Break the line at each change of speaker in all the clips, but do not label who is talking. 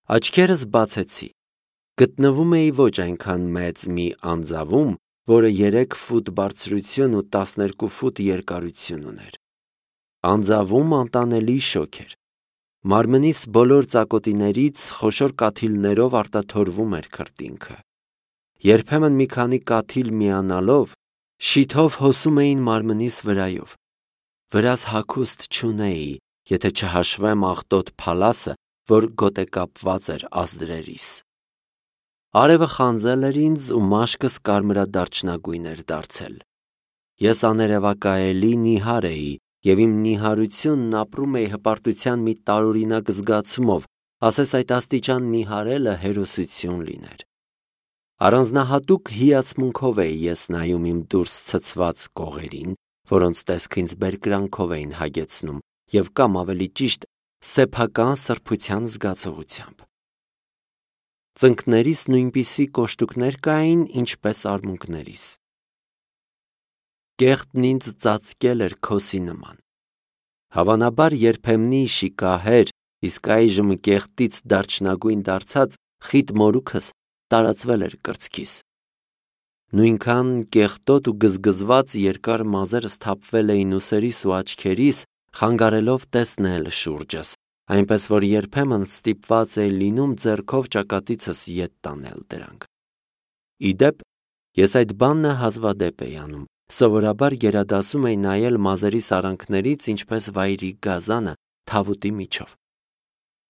Աչքերս բացեցի, գտնվում էի ոչ այնքան մեծ մի անձավում, որը 3 ֆուտ բարձրություն ու 12 ֆուտ երկարություն ուներ։ Անձավում անտանելի շոգ էր։ Մարմնիս բոլոր ծակոտիներից խոշոր կաթիլներով արտաթորվում էր քրտինքը։ Երբեմն մի քանի կաթիլ միանալով շիթով հոսում էին մարմնիս վրայով։ Վրաս հագուստ չունեի, եթե չհաշվեմ աղտոտ փալասը, որ գոտեկապված էր ազդրերիս։ Արևը խանձել էր ինձ ու մաշկս կարմրադարչնագույն էր դարձել։ Ես աներևակայելի նիհար էի և իմ նիհարությունն ապրում էի հպարտության մի տարօրինակ զգացումով, ասես այդ աստիճան նիհարելը հերոսություն լիներ։ Առանձնահատուկ հիացմունքով էի ես նայում իմ դուրս ցցված կողերին, որոնց տեսքը ինձ բերկրանքով էին հագեցնում և կամ ավելի ճիշտ սեփական սրբության զգացողությամբ։ Ծնկներիս նույնպիսի կոշտուկներ կային, ինչպես արմունկներիս։ Կեղտն ինձ ծածկել էր քոսի նման։ Հավանաբար երբեմնի շիկահեր, իսկ այժմ կեղտից դարչնագույն դարձած խիտ մորուքս տարածվել էր կրծքիս։ Նույնքան կեղտոտ ու գզգզված երկար մազերս թափվել էին ուսերիս ու աչքերիս, խանգարելով տեսնել շուրջս, այնպես որ երբեմն ստիպված էի լինում ձեռքով ճակատիցս ետ տանել դրանք։ Ի դեպ, ես այդ բանն հազվադեպ էի անում, սովորաբար գերադասում էի նայել մազերիս արանքներից, ինչպես վայրի գազանը թավուտի միջով։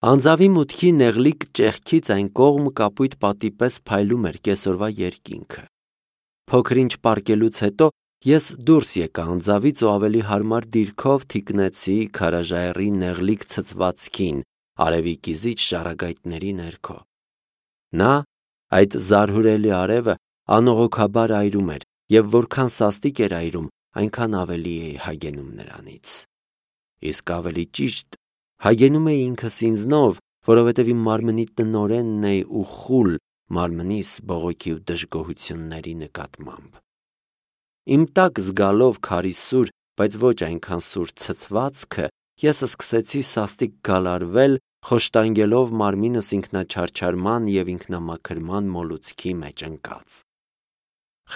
Անձավի մուտքի նեղլիկ ճեղքից այն կողմ կապույտ պատի պես փայլում էր կեսօրվա երկինքը։ Փոքր-ինչ պառկելուց հետո ես դուրս եկա անձավից ու ավելի հարմար դիրքով թիկնեցի քարաժայռի նեղլիկ ցցվածքին արևի կիզիչ ժառագայթների ներքո։ Նա, այդ զարհուրելի արևը, անողոքաբար այրում էր, և որքան սաստիկ էր այրում, այնքան ավելի էի հագենում նրանից։ Իսկ ավելի ճիշտ, հագենում էի ինքս ինձնով, որովհետև իմ մարմնի տնօրենն էի ու խուլ մարմնիս բողոքի ու դժգոհությունների նկատմամբ։ Իմ տակ զգալով քարի սուր, բայց ոչ այնքան սուր ցցվածքը, ես սկսեցի սաստիկ գալարվել, խոշտանգելով մարմինս ինքնաչարչարման և ինքնամաքրման մոլուցքի մեջ ընկած։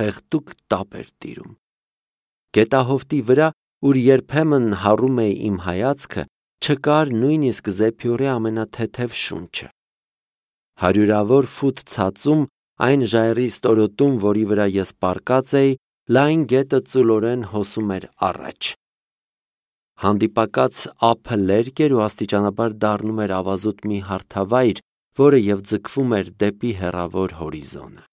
Խեղդուկ տապ էր տիրում։ Գետահովտի վրա, ուր երբեմն հառում էի իմ հայացքը, չկար նույնիսկ զեփյուռի ամենաթեթև շունչը։ Հարյուրավոր ֆուտ ցածում, այն ժայռի ստորոտում, որի վրա ես պառկած էի, լայն գետը ծուլորեն հոսում էր առաջ։ Հանդիպակաց ափը լերկ էր ու աստիճանաբար դառնում էր ավազուտ մի հարթավայր, որը և ձգվում էր դեպի հեռավոր հորիզոնը։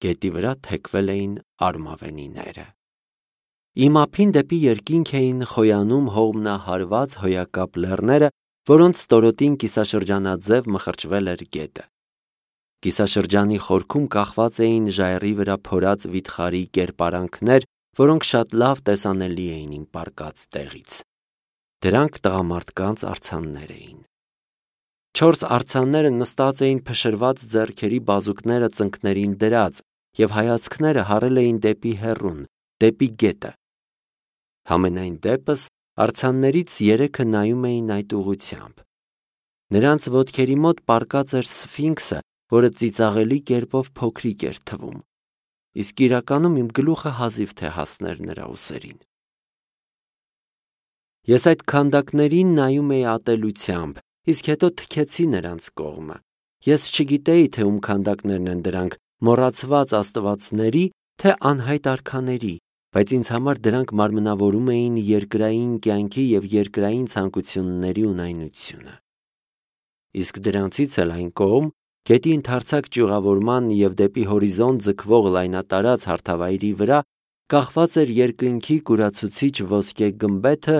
Գետի վրա թեքվել էին արմավենիները։ Իմ ափին դեպի երկինք էին խոյանում հողմնահարված հոյակապ լեռները, որոնց ստորոտին կիսաշրջանաձև մխրճվել էր գետը։ Կիսաշրջանի խորքում կախված էին ժայռի վրա փորած վիթխարի կերպարանքներ, որոնք շատ լավ տեսանելի էին իմ պառկած տեղից։ Դրանք տղամարդկանց արձաններ էին։ 4 արձանները նստած էին փշրված ձեռքերի բազուկները ծնկներին դրած, և հայացքները հառել էին դեպի հեռուն, դեպի գետը։ Համենայն դեպս, արձաններից 3-ը նայում էին այդ ուղղությամբ։ Նրանց ոտքերի մոտ պառկած էր սֆինքսը, որը ծիծաղելի կերպով փոքրիկ էր թվում, իսկ իրականում իմ գլուխը հազիվ թե հասներ նրա ուսերին։ Ես այդ քանդակներին նայում էի ատելությամբ, իսկ հետո թքեցի նրանց կողմը։ Ես չգիտեի, թե ում քանդակներն են դրանք, մոռացված աստվածների, թե անհայտ արքաների, բայց ինձ համար դրանք մարմնավորում էին երկրային կյանքի և երկրային ցանկությունների ունայնությունը։ Իսկ դրանցից էլ այն կողմ, գետի ընդարձակ ճյուղավորման և դեպի հորիզոն ձգվող լայնատարած հարթավայրի վրա, կախված էր երկնքի կուրացուցիչ ոսկե գմբեթը,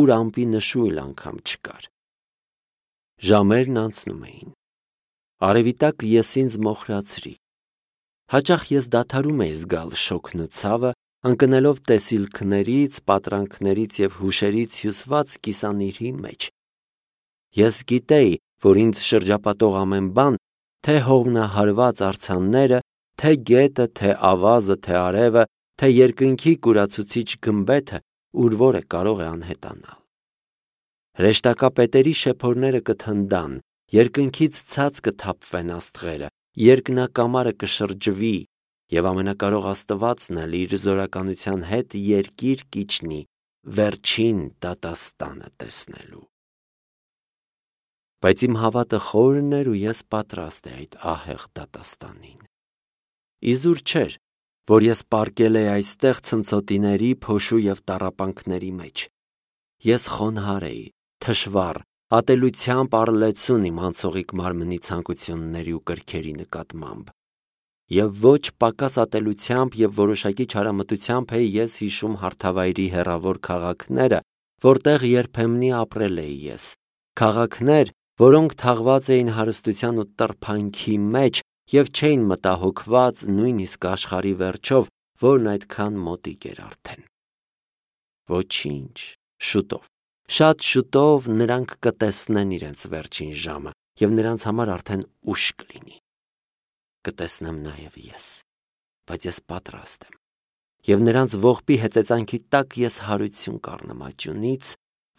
ուր ամպի նշույլ անգամ չկար։ Ժամերն անցնում էին։ Արևի տակ ես ինձ մոխրացրի։ Հաճախ ես դադարում էի զգալ շոգն ու ցավը, ընկնելով տեսիլքներից, պատրանքներից և հուշերից հյուսված կիսանիրհի մեջ։ Ես գիտեի, որ ինձ շրջապատող ամեն բան, թե հողմնահարված արձանները, թե գետը, թե ավազը, թե արևը, թե երկնքի կուրացուցիչ գմբեթը, ուր որը կարող է անհետանալ։ Հրեշտակապետերի շեփորները կթնդան, երկնքից ցած կթափվեն աստղերը, երկնակամարը կշրջվի, եւ ամենակարող Աստվածն էլ իր զորականության հետ երկիր կիջնի վերջին դատաստանը տեսնելու։ Բայց իմ հավատը խորն էր ու ես պատրաստ էի այդ ահեղ դատաստանին։ Իզուր չէր, որ ես պառկել էի այստեղ ցնցոտիների, փոշու եւ տառապանքների մեջ։ Ես խոնհար էի, թշվառ, ատելությամբ առլեցուն իմ անցողիկ մարմնի ցանկությունների ու կրքերի նկատմամբ։ Եվ ոչ պակաս ատելությամբ եւ որոշակի չարամտությամբ էի ես հիշում հարթավայրի հեռավոր քաղաքները, որտեղ երբեմնի ապրել էի ես, քաղաքներ, որոնք թաղված էին հարստության ու տրփանքի մեջ եւ չէին մտահոգված նույնիսկ աշխարհի վերջով, որն այդքան մոտիկ էր արդեն։ Ոչինչ, շուտով, շատ շուտով նրանք կտեսնեն իրենց վերջին ժամը եւ նրանց համար արդեն ուշ կլինի։ Կտեսնեմ նաեւ ես, բայց ես պատրաստ եմ։ Եվ նրանց ողբի հեծեծանքի տակ ես հարություն կառնեմ աճյունից,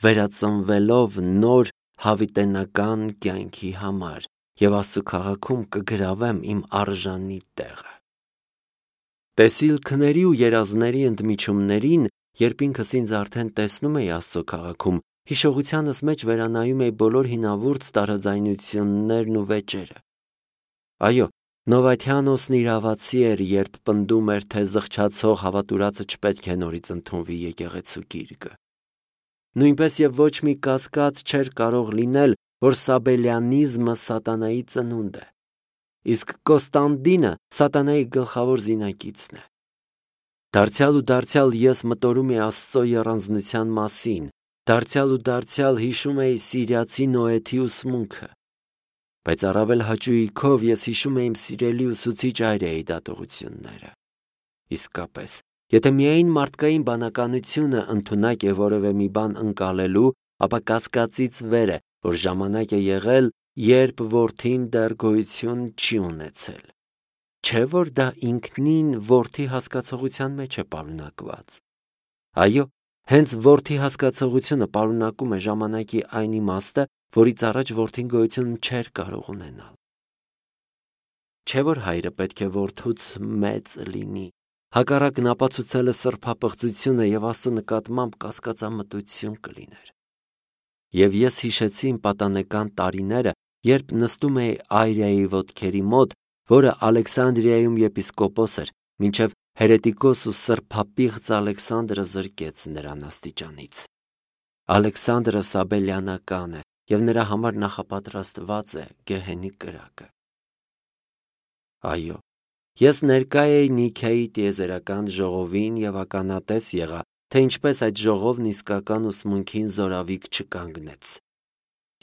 վերածնվելով նոր հավիտենական կյանքի համար եւ Աստծո քաղաքում կգրավեմ իմ արժանի տեղը։ Տեսիլքների ու երազների ընդմիջումներին, երբ ինքս ինձ արդեն տեսնում էի Աստծո քաղաքում, հիշողությանս մեջ վերանայում էի բոլոր հինավուրց տարաձայնություններն ու վեճերը։ Այո, Նովաթյանոսն իրավացի էր, երբ պնդում էր, թե զղջացող հավատուրացը չպետք է նորից ընդունվի եկեղեցու գիրկը։ Նույնպես եւ ոչ մի կասկած չէր կարող լինել, որ սաբելյանիզմը սատանայի ծնունդ է, իսկ Կոստանդինը սատանայի գլխավոր զինակիցն է։ Դարձյալ ու դարձյալ ես մտորում էի Աստծո եռանձնության մասին, դարձյալ ու դարձյալ հիշում էի սիրիացի Նոեթի ուսմունքը, բայց առավել հաճույքով ես հիշում էի իմ սիրելի ուսուցիչ Արիայի դատողությունները։ Իսկապես, եթե միայն մարդկային բանականությունը ընդունակ է որևէ մի բան ընկալելու, ապա կասկածից վեր է, որ ժամանակ է եղել, երբ որդին դեռ գոյություն չի ունեցել։ Չէ՞ որ դա ինքնին որդի հասկացողության մեջ է պարունակված։ Այո, հենց որդի հասկացողությունը պարունակում է ժամանակի այն իմաստը, որից առաջ որդին գոյություն չէր կարող ունենալ։ Չէ՞ որ հայրը պետք է որդուց մեծ լինի, հակառակն ապացուցելը սրբապղծություն է եւ Աստծո նկատմամբ կասկածամտություն կլիներ։ Եվ ես հիշեցի իմ պատանեկան տարիները, երբ նստում էի Արիայի ոտքերի մոտ, որը Ալեքսանդրիայում եպիսկոպոս էր, մինչև հերետիկոս ու սրբապիղծ Ալեքսանդրը զրկեց նրան աստիճանից։ Ալեքսանդրը սաբելյանական է եւ նրա համար նախապատրաստված է գեհենի կրակը։ Այո, ես ներկա էի Նիքեայի տիեզերական ժողովին եւ ականատես եղա, թե ինչպես այդ ժողովն իսկական ուսմունքին զորավիք չկանգնեց։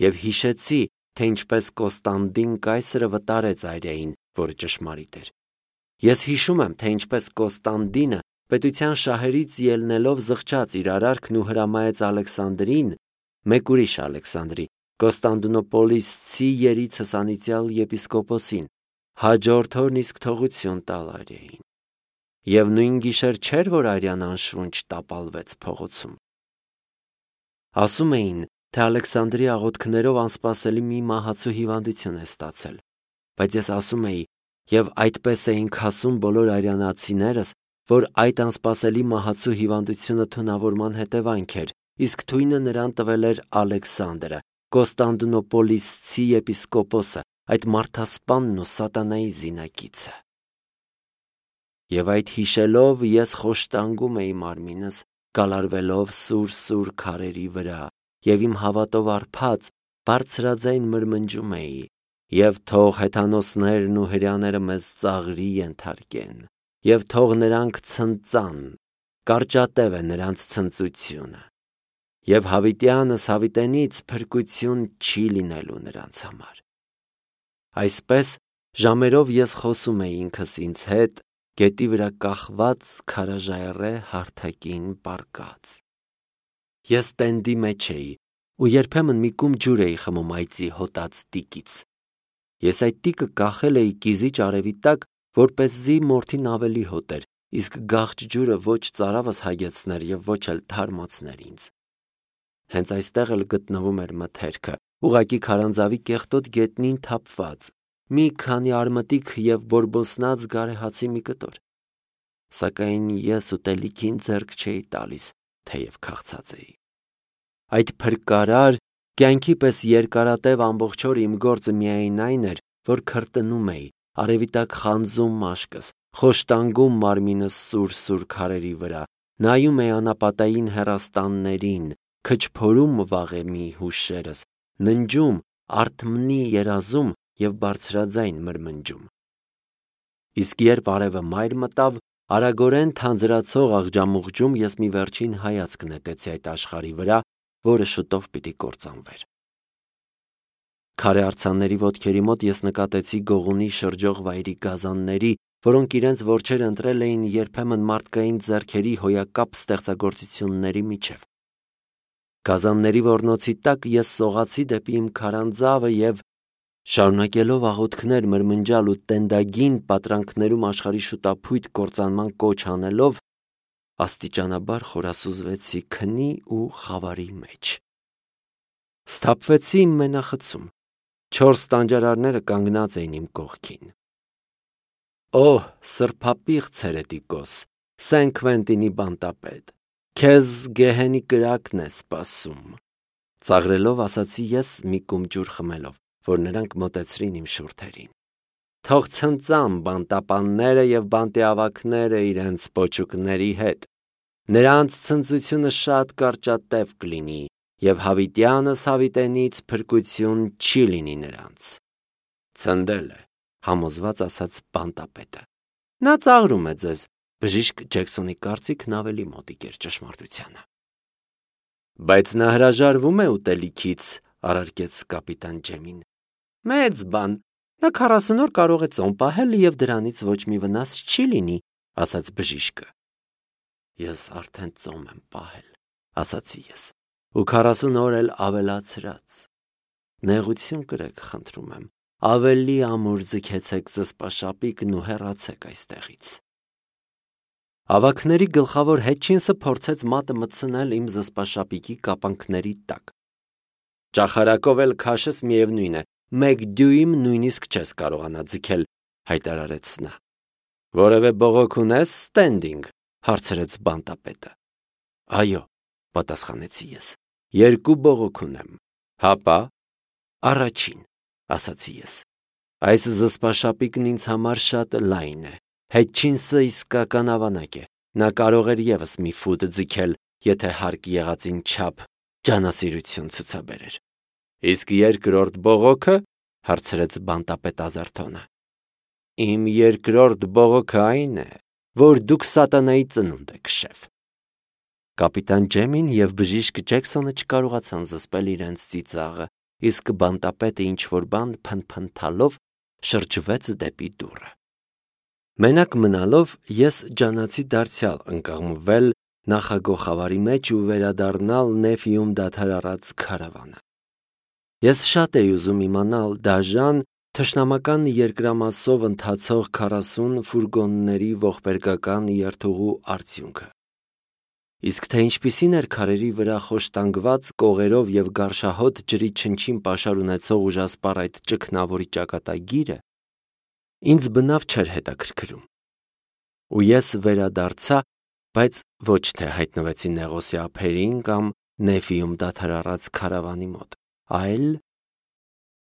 Եվ հիշեցի, թե ինչպես Կոստանդին կայսրը վտարեց Արիային, որը ճշմարիտ էր։ Ես հիշում եմ, թե ինչպես Կոստանդինը պետության շահերից ելնելով զղջաց իր արարքն ու հրամայեց Ալեքսանդրին, մեկ ուրիշ Ալեքսանդրի, Կոստանդնոպոլիսցի երիցս անիծյալ եպիսկոպոսին, հաջորդ օրն իսկ թողություն տալ Արիային։ Եվ նույն գիշեր չէր, որ Արիան անշունչ տապալվեց փողոցում։ Ասում էին, թե Ալեքսանդրի աղոթքներով անսպասելի մի մահացու հիվանդություն է ստացել, բայց ես ասում էի, եւ այդպես էինք ասում բոլոր արյանացիներս, որ այդ անսպասելի մահացու հիվանդությունը թունավորման հետևանք էր, իսկ թույնը նրան տվել էր Ալեքսանդրը, Կոստանդնոպոլիսցի եպիսկոպոսը, այդ մարդասպանն ու սատանայի զինակիցը։ Եվ այդ հիշելով ես խոշտանգում էի մարմինս, կալարվելով սուր քարերի վրա, եւ իմ հավատով արփած բարձրաձայն մրմնջում էի, եւ թող հեթանոսներն ու հրեաները մեզ ծաղրի ենթարկեն, եւ թող նրանք ցնծան, կարճատև է նրանց ցնծությունը, եւ հավիտյանս հավիտենից փրկություն չի լինելու նրանց համար։ Այսպես ժամերով ես խոսում էի ինքս ինձ հետ, գետի վրա կախված քարաժայռե հարթակին պառկած։ Ես տենդի մեջ էի ու երբեմն մի կում ջուր էի խմում այծի հոտած տիկից։ Ես այդ տիկը կախել էի կիզիչ արևի տակ, որպեսզի մորթին ավելի հոտ էր, իսկ գաղջ ջուրը ոչ ծարավս հագեցներ եւ ոչ էլ թարմացներ ինձ։ Հենց այստեղ էլ գտնվում էր մթերքը, ուղակի քարանձավի կեղտոտ գետնին թափված, մի քանի արմտիկ և բորբոսնած գարեհացի մի կտոր։ Սակայն ես ուտելիքին ձեռք չէի տալիս, թեև քաղցած էի։ Այդ փրկարար, կյանքի պես երկարատև ամբողջ օր իմ գործը միայն այն էր, որ քրտնում էի, արևի տակ խանձում մաշկս, խոշտանգում մարմինս սուր քարերի վրա, նայում էի անապատային հեռաստաններին, քչփորում վաղեմի հուշերս, ննջում, արթմնի երազում և բարձրաձայն մրմնջում։ Իսկ երբ արևը մայր մտավ, արագորեն թանձրացող աղջամուղջում ես մի վերջին հայացք նետեցի այդ աշխարհի վրա, որը շուտով պիտի կործանվեր։ Քարե արձանների ոտքերի մոտ ես նկատեցի գողունի շրջող վայրի գազանների, որոնք իրենց որջերը ընտրել էին երբեմն մարդկային ձեռքերի հոյակապ ստեղծագործությունների միջև։ Գազանների ոռնոցի տակ ես սողացի դեպի իմ քարանձավը և, շարունակելով աղոթքներ մրմնջալ ու տենդագին պատրանքներում աշխարհի շուտափույթ կործանման կոչ անելով, աստիճանաբար խորասուզվեցի քնի ու խավարի մեջ։ Սթափվեցի իմ մենախցում։ 4 տանջարարները կանգնած էին իմ կողքին։ Օհ, սրբապիղծ հերետիկոս, Սեն Քվենտինի բանտապետ, քեզ գեհենի կրակն է սպասում, ծաղրելով ասացի ես մի կում ջուր խմելով, որ նրանք մոտեցրին իմ շուրթերին։ Թող ցնծան բանտապանները և բանտիավակները իրենց պոչուկների հետ։ Նրանց ցնծությունը շատ կարճատև կլինի, և հավիտյանս հավիտենից փրկություն չի լինի նրանց։ Ցնդել է, համոզված ասաց բանտապետը։ Նա ծաղրում է ձեզ, բժիշկ Ջեքսոնի կարծիքն ավելի մոտիկ էր ճշմարտությանը։ Բայց նա հրաժարվում է ուտելիքից, առարկեց կապիտան Ջեմին։ Մեծ բան, նա 40 օր կարող է ծոմ պահել և դրանից ոչ մի վնաս չի լինի, ասաց բժիշկը։ Ես արդեն ծոմ եմ պահել, ասացի ես, ու 40 օր էլ ավելացրած։ Նեղություն կրեք, խնդրում եմ, ավելի ամուր ձգեցեք զսպաշապիկն ու հեռացեք այստեղից։ Ավագների գլխավոր Հետչինսը փորձեց մատը մտցնել իմ զսպաշապիկի կապանքների տակ։ Ճախարակով էլ քաշես միևնույն է, 1 դյույմ նույնիսկ չես կարողանա ձգել, հայտարարեց նա։ Որևէ բողոք ունես, Ստենդինգ, հարցրեց բանտապետը։ Այո, պատասխանեցի ես, 2 բողոք ունեմ։ Հապա, առաջին, ասացի ես։ Այս զսպաշապիկն ինձ համար շատ լայն է։ Հետչինսը իսկական ավանակ է։ Նա կարող էր ևս մի ֆուտ ձգել, եթե հարկ եղածին չափ ջանասիրություն ցուցաբերեր։ Իսկ երկրորդ բողոքը, հարցրեց բանտապետ Ազարթոնը։ Իմ երկրորդ բողոքը այն է, որ դուք սատանայի ծնունդ եք, շեֆ։ Կապիտան Ջեմին և բժիշկ Ջեքսոնը չկարողացան զսպել իրենց ծիծաղը, իսկ բանտապետը ինչ-որ բան փնփնթալով շրջվեց դեպի դուռը։ Մենակ մնալով ես ջանացի դարձյալ ընկղմվել նախագոխավարի մեջ ու վերադառնալ Նեֆիում դադար առած քարավանը։ Ես շատ էի ուզում իմանալ դաժան, թշնամական երկրամասով ընթացող 40 ֆուրգոնների ողբերգական երթուղու արդյունքը։ Իսկ թե ինչպիսին էր քարերի վրա խոշտանգված կողերով և գարշահոտ ջրի չնչին պաշար ունեցող ուժասպառ այդ ճգնավորի ճակատագիրը, ինձ բնավ չէր հետաքրքրում։ Ու ես վերադարձա, բայց ոչ թե հայտնվեցի Նեղոսի ափերին կամ Նեֆիում դադար առած քարավանի մոտ, այլ